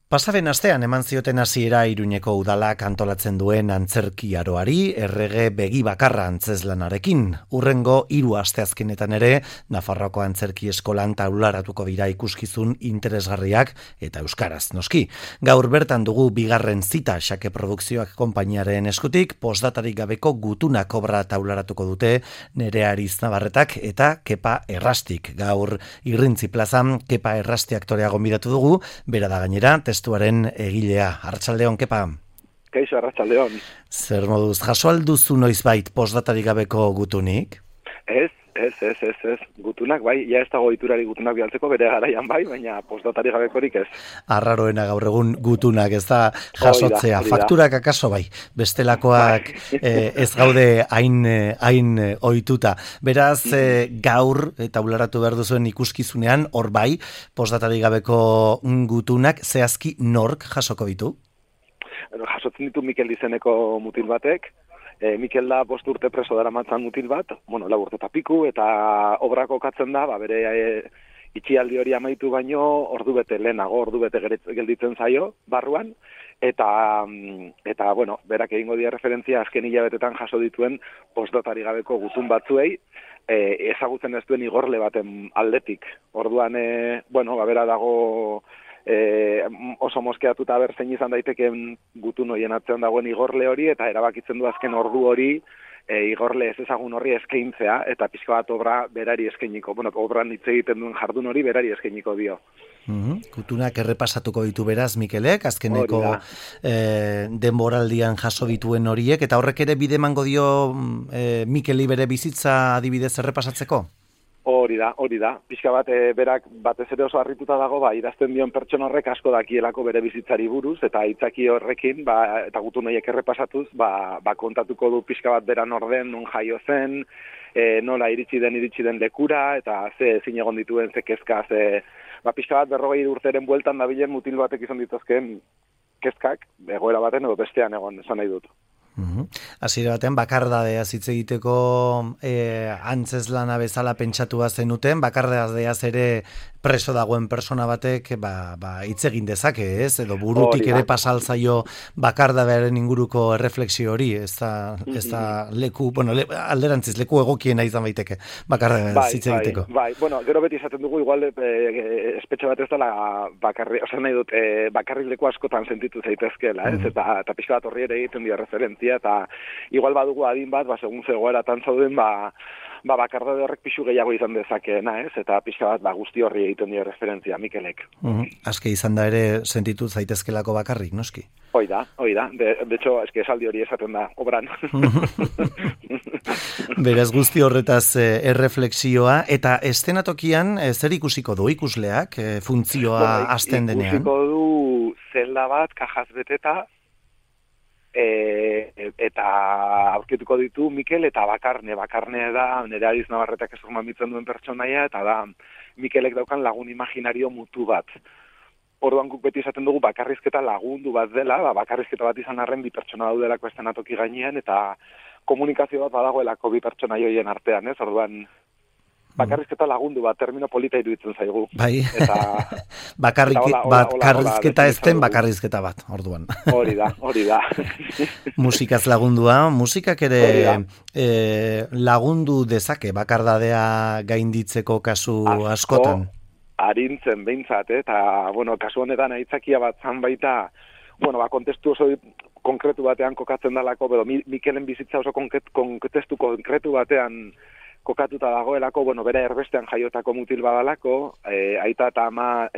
Pasaben astean eman zioten hasiera Iruñeko udalak antolatzen duen antzerki aroari errege begi bakarra antzeslanarekin. Hurrengo 3 asteazkenetan ere Nafarroako antzerki eskolan taularatuko dira ikuskizun interesgarriak eta euskaraz noski. Gaur bertan dugu bigarren zita Xake Produkzioak konpainiaren eskutik, postdatarik gabeko gutunak obra taularatuko dute Nerea Ariz Navarretak eta Kepa Errastik. Gaur Irrintzi plazan Kepa Errasti aktorea gonbidatu dugu, bera da gainera testuaren egilea. Arratsaldeon, Kepa. Kaixo, arratsaldeon. Zer moduz, jaso alduzu noizbait postdatarik gabeko gutunik? Ez. Gutunak, bai, ja ez dago iturari gutunak bialtzeko bere garaian bai, baina postdatari gabekorik ez. Arraroena gaur egun gutunak, ez da jasotzea. Hori da. Fakturak akaso bai, bestelakoak ez gaude hain ohituta. Beraz, gaur, taularatu behar duzuen ikuskizunean, hor bai, postdatari gabeko gutunak, zehazki nork jasoko ditu? Jasotzen ditu Mikel izeneko mutil batek. Mikel da 5 urte preso daramatzan mutil bat, 4 urte eta piku, eta obrako katzen da, bere itxialdi hori amaitu baino, ordubete gelditzen zaio, barruan, eta berak egingo dia referentzia azken hilabetetan jaso dituen postdatari gabeko gutun batzuei, ezagutzen ez duen igorle baten aldetik. Orduan, bera dago oso moskeatuta berzein izan daiteken gutun horien atzean dagoen igorle hori, eta erabakitzen du azken ordu hori igorle ez ezagun horri eskaintzea, eta pixka bat obra berari eskainiko. Obran hitz egiten duen jardun hori berari eskainiko dio. Gutunak errepasatuko ditu beraz, Mikelek, azkeneko denboraldian jaso dituen horiek, eta horrek ere bide emango dio Mikeli bere bizitza adibidez errepasatzeko? Hori da. Pixka bat, berak batez ere oso harrituta dago, idazten dion pertsona horrek asko dakielako bere bizitzari buruz, eta aitzaki horrekin, eta gutun horiek errepasatuz, kontatuko du pixka bat beran orden, non jaio zen, nola iritsi den lekura, eta ze ezin egon dituen ze kezka, pixka bat 40 urteren bueltan dabilen mutil batek izan dituzken kezkak, egoera baten edo bestean egon, esan nahi dut. Hasiera batean bakardadeaz hitz egiteko antzeslana bezala pentsatua zenuten, bakardadeaz ere preso dagoen persona batek hitz egin dezake, ez? Edo burutik ere pasaltzaio bakardadearen inguruko erreflexio hori, ez da leku, alderantziz leku egokiena izan baiteke bakardadeaz hitz egiteko. Gero beti izaten dugu igual espetxe bat ez dela bakarrik leku askotan sentitu zaitezkeela, ez? Eta pixka bat horri ere egiten dira referentzia, eta igual badugu adin bat, segun zegoeratan zauden, bakardade horrek pixu gehiago izan dezakeena, ez? Eta pixka bat guzti horri egiten dio referentzia Mikelek. Azke izan da ere sentitu zaitezkelako bakarrik, noski? Hoi da. De hecho, esaldi hori esaten da, obran. Beraz guzti horretaz erreflexioa, eta estenatokian zer ikusiko du ikusleak funtzioa hasten denean? Ikusiko du zelda bat, kajaz beteta, eta aurkituko ditu Mikel eta Bakarne da Nerea Ariz Navarretak mamitzen duen pertsonaia, eta da Mikelek daukan lagun imaginario mutu bat. Orduan guk beti esaten dugu bakarrizketa lagundu bat dela, bakarrizketa bat izan arren 2 pertsona daudelako estenatoki gainean, eta komunikazio bat badagoelako 2 pertsona joien artean, ez? Orduan bakarrizketa lagundu bat, termino polita iruditzen zaigu. Bai, bakarrizketa ezten bakarrizketa bat, orduan. Hori da. Musikaz lagundua, musikak ere lagundu dezake bakardadea gainditzeko kasu askotan. Arintzen behintzat, eta, kasu honetan aitzakia bat zan baita, kontestu oso konkretu batean kokatzen dalako, Mikelen bizitza oso kontestu konkretu batean kokatuta dagoelako, bera erbestean jaiotako mutil badalako, aita eta ama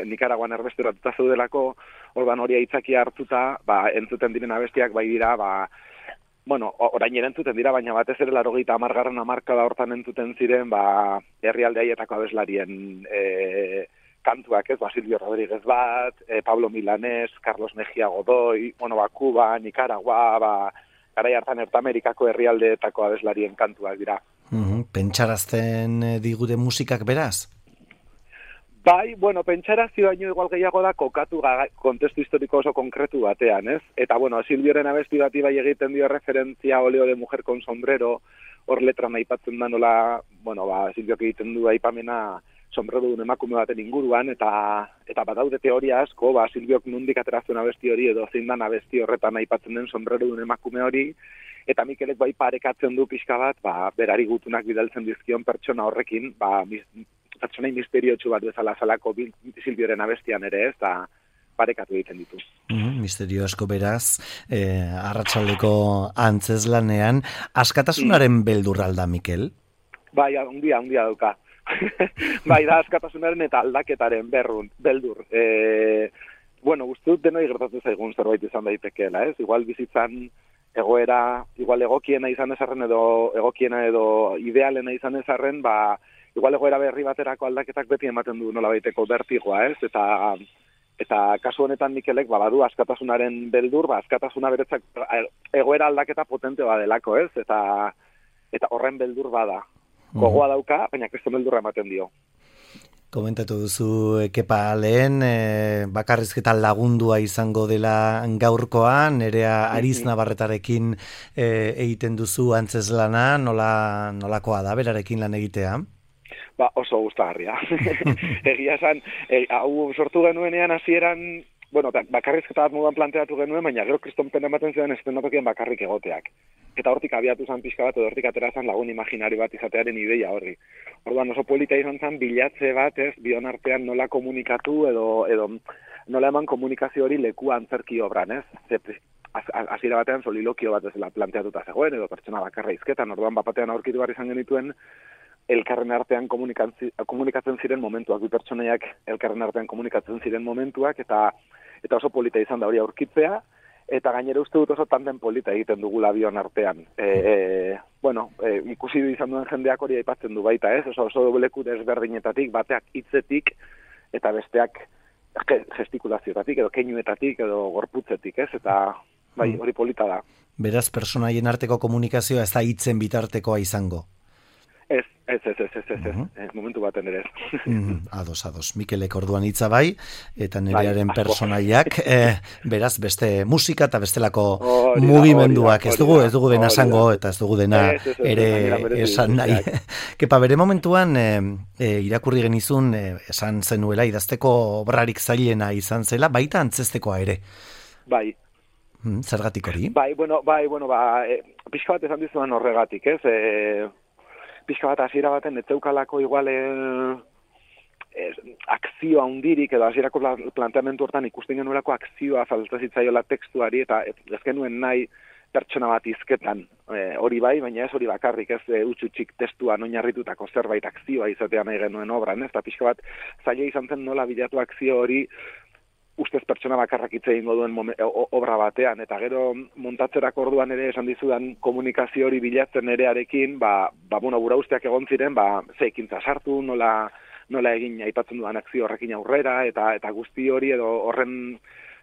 Nikaraguan erbesteratuta zeudelako, orban hori aitzakia hartuta, entzuten diren abestiak bai dira, orain ere entzuten dira, baina batez ere 80. hamarkada hortan entzuten ziren, herrialde haietako abeslarien kantuak, ez, Silvio Rodríguez bat, Pablo Milanés, Carlos Mejía Godoy, Cuba, Nicaragua, garai hartan Ertamerikako herrialdeetako abeslarien kantuak dira. Pentsarazten digute musikak beraz? Bai, pentsarazio baino igual gehiago da kokatu kontestu historiko oso konkretu batean, ez? Eta, Silvioren abesti bati bai egiten dio referentzia Oleo de mujer con sombrero, hor letran aipatzen da nola, Silviok egiten du aipamena sombrerodun emakume baten inguruan, eta badaude teoria asko, Silbiok nondik ateratzen abesti hori, edo zein dan abesti horretan aipatzen den sombrerodun emakume hori, eta Mikelek bai parekatzen du pixka bat, berari gutunak bidaltzen dizkion pertsona horrekin, pertsonai misteriotsu bat bezala zalako Silbioren abestian ere ez, eta parekatu egiten ditu. Misterio asko beraz, arratsaldeko antzeslanean, askatasunaren beldurra alda, Mikel? Bai, handia dauka. Bai, da askatasunaren eta aldaketaren beldur. Uste dut denoi gertatu zaigun zerbait izan daitekeela, ez? Igual bizitzan egoera, igual egokiena izan ezarren edo idealena izan ezarren, igual egoera berri baterako aldaketak beti ematen du nola baiteko bertigoa, ez? Eta kasu honetan Mikelek badu askatasunaren beldur, askatasuna beretzak egoera aldaketa potente badelako, ez? Eta horren beldur bada. Gogoa dauka, baina kriston beldurra ematen dio. Komentatu duzu Kepa lehen, bakarrizketa lagundua izango dela gaurkoan, Nerea Ariz Navarretarekin egiten duzu antzeslana, nolakoa da berarekin lan egitea? Oso gustagarria. Egia esan, hau sortu genuenean hasieran, bakarrizketa bat moduan planteatu genuen, baina gero kriston pena ematen zidan estenatokian bakarrik egoteak. Eta hortik abiatu zan pixka bat, edo hortik atera zan lagun imaginari bat izatearen ideia horri. Orduan oso polita izan zan bilatze bat, ez, bion artean nola komunikatu edo nola eman komunikazio hori leku antzerki obran, ez? Hasiera batean solilokio bat ezela planteatuta zegoen, edo pertsona bakarra izketan, orduan bapatean aurkitu behar izan genituen, elkarren artean komunikatzen ziren momentuak, bi pertsonaiak elkarren artean komunikatzen ziren momentuak, eta oso polita izan da hori aurkitzea, eta gainera uste dut oso tanden polita egiten dugula bion artean. Ikusi izan duen jendeak hori aipatzen du baita, ez? Oso leku desberdinetatik, bateak hitzetik, eta besteak gestikulazioetatik, edo keinuetatik, edo gorputzetik, ez? Eta hori polita da. Beraz, personaien arteko komunikazioa ez da hitzen bitartekoa izango? Ez, momentu baten ere ez. Ados. Mikelek orduan hitza bai, eta Nerearen personaiak, beraz, beste musika eta bestelako mugimenduak, ez dugu dena esango, eta ez dugu dena ere esan nahi. Kepa, bere momentuan, irakurri genizun, esan zenuela, idazteko obrarik zailena izan zela, baita antzestekoa ere. Bai. Zergatik hori? Pixka bat esan dizuan horregatik, ez? Pixka bat hasiera baten etzeukalako igual akzioa hundirik, edo hasierako planteamendu hortan ikusten genuelako akzioa falta zitzaiola tekstuari, eta ez genuen nahi pertsona bat izketan hori bai, baina ez hori bakarrik, ez utxutxik testuan oinarritutako zerbait akzioa izatea nahi genuen obran, ez? Eta pixka bat zaila izan zen nola bilatu akzio hori ustez pertsona bakarrak hitz egingo duen obra batean, eta gero montatzerako orduan ere esan dizudan komunikazio hori bilatzen erearekin, gura usteak egon ziren, ze ekintza sartu, nola egin aipatzen dudan akzio horrekin aurrera, eta guzti hori edo horren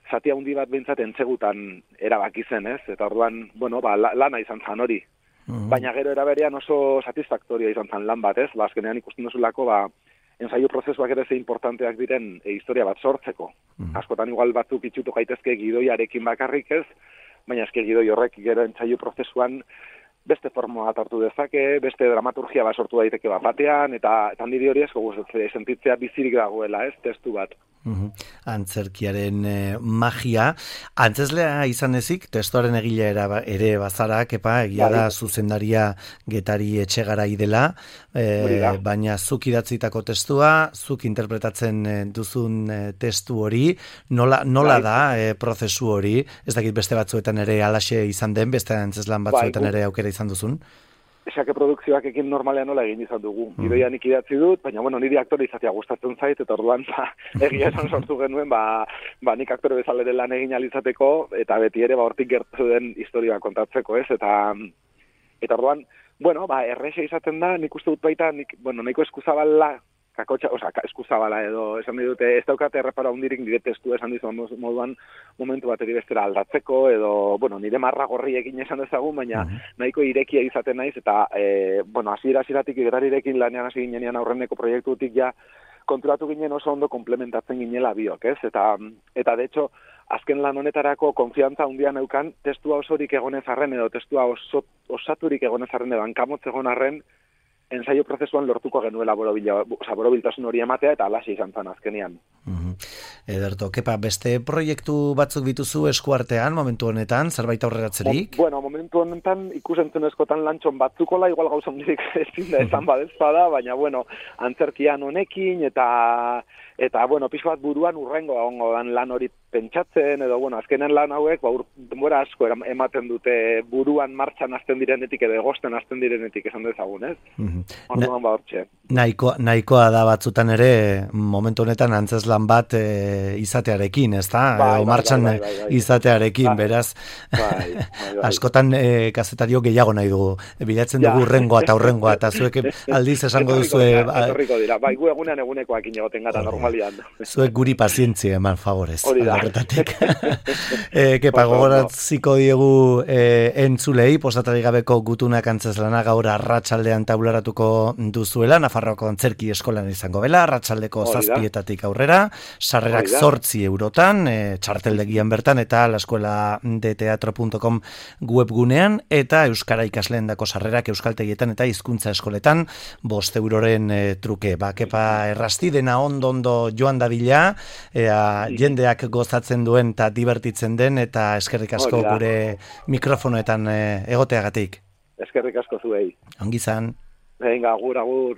zati handi bat behintzat entzegutan erabaki zen, ez? Eta orduan, lana izan zan hori. Baina gero eraberean oso satisfaktoria izan zan lan bat, ez? Azkenean ikusten duzulako, ensaio prozesuak ere ze importanteak diren historia bat sortzeko. Askotan igual batzuk itxutu gaitezke gidoiarekin bakarrik ez, baina eske gidoi horrek gero ensaio prozesuan beste forma bat hartu dezake, beste dramaturgia bat sortu daiteke batean, eta niri hori asko gustatzen sentitzea bizirik dagoela, ez, testu bat. Antzerkiaren magia. Antzeslea izan ezik, testuaren egilea ere bazara, Kepa, egia da zuzendaria Getari Etxegarai dela, baina zuk idatzitako testua, zuk interpretatzen duzun testu hori, nola da prozesu hori, ez dakit beste batzuetan ere alaxe izan den, beste antzeslan batzuetan ere aukera izan duzun? Esake produkzioak ekin normalean nola egin izan dugu. Gidoia nik idatzi dut, baina niri aktore izatea gustatzen zait, eta orduan egia esan sortu genuen, nik aktore bezala ere lan egin alizateko, eta beti ere hortik gertu den historia kontatzeko, ez? Eta orduan, errexe izaten da, nik uste dut baita, nahiko eskuzabala, eskuzabala edo, esan dute, ez daukate errepara hundirik nire testu esan dizuan moduan momentu bateri bestera aldatzeko, edo, nire marra gorri egin esan dezagun, baina nahiko irekia izaten naiz, eta, hasieratik Getarirekin lanean hasi ginean aurreneko proiektutik ja konturatu ginen oso ondo komplementatzen ginela biok, ez? Eta de hecho, azken lan honetarako konfiantza handia neukan, testua osorik egonez arren, edo testua osaturik egonez arren, edo hankamotz egon arren, ensaio prozesuan lortuko genuela borobiltasun hori ematea, eta alaxe izan zen azkenean. Ederto, kepa, beste proiektu batzuk dituzu eskuartean, momentu honetan, zerbait aurreratzerik? Bueno, momentu honetan ikusentzunezkotan lantxon batzukola, igual gauza hondirik ezin da esan badezpada, baina, bueno, antzerkian honekin, eta bueno, pixo bat buruan urrengo egongo dan lan hori pentsatzen, edo, bueno, azkenen lan hauek, denbora asko ematen dute buruan martxan hasten direnetik, edo egosten hasten direnetik esan dezagun, ez? Orduan hortxe. Nahikoa da batzutan ere, momentu honetan antzeslan bat izatearekin, ez da? Martxan izatearekin, beraz. Askotan kazetario gehiago nahi dugu. Bilatzen dugu urrengoa eta zuek aldiz esango duzue... Etorriko dira, gu egunean egunekoak inegoten gara normalian. Zuek guri pazientzia eman favorez. Hori da. Kepa, gogoratziko diegu entzulei, postatari gabeko gutunak antzeslana gaur arratsaldean taularatuko duzuela, Nafarroako Antzerki Eskolan izango bela, arratsaldeko 7:00 aurrera, sarrerak 8 eurotan, txarteldegian bertan, eta laeskueladeteatro.com webgunean, eta euskara ikasleendako sarrerak euskaltegietan eta hizkuntza eskoletan 5 euroren truke. Kepa, errasti dena ondo joan dadila, jendeak gozatzen duen eta divertitzen den, eta eskerrik asko gure mikrofonoetan egoteagatik. Eskerrik asko zuei. Ongi izan. Venga, agur.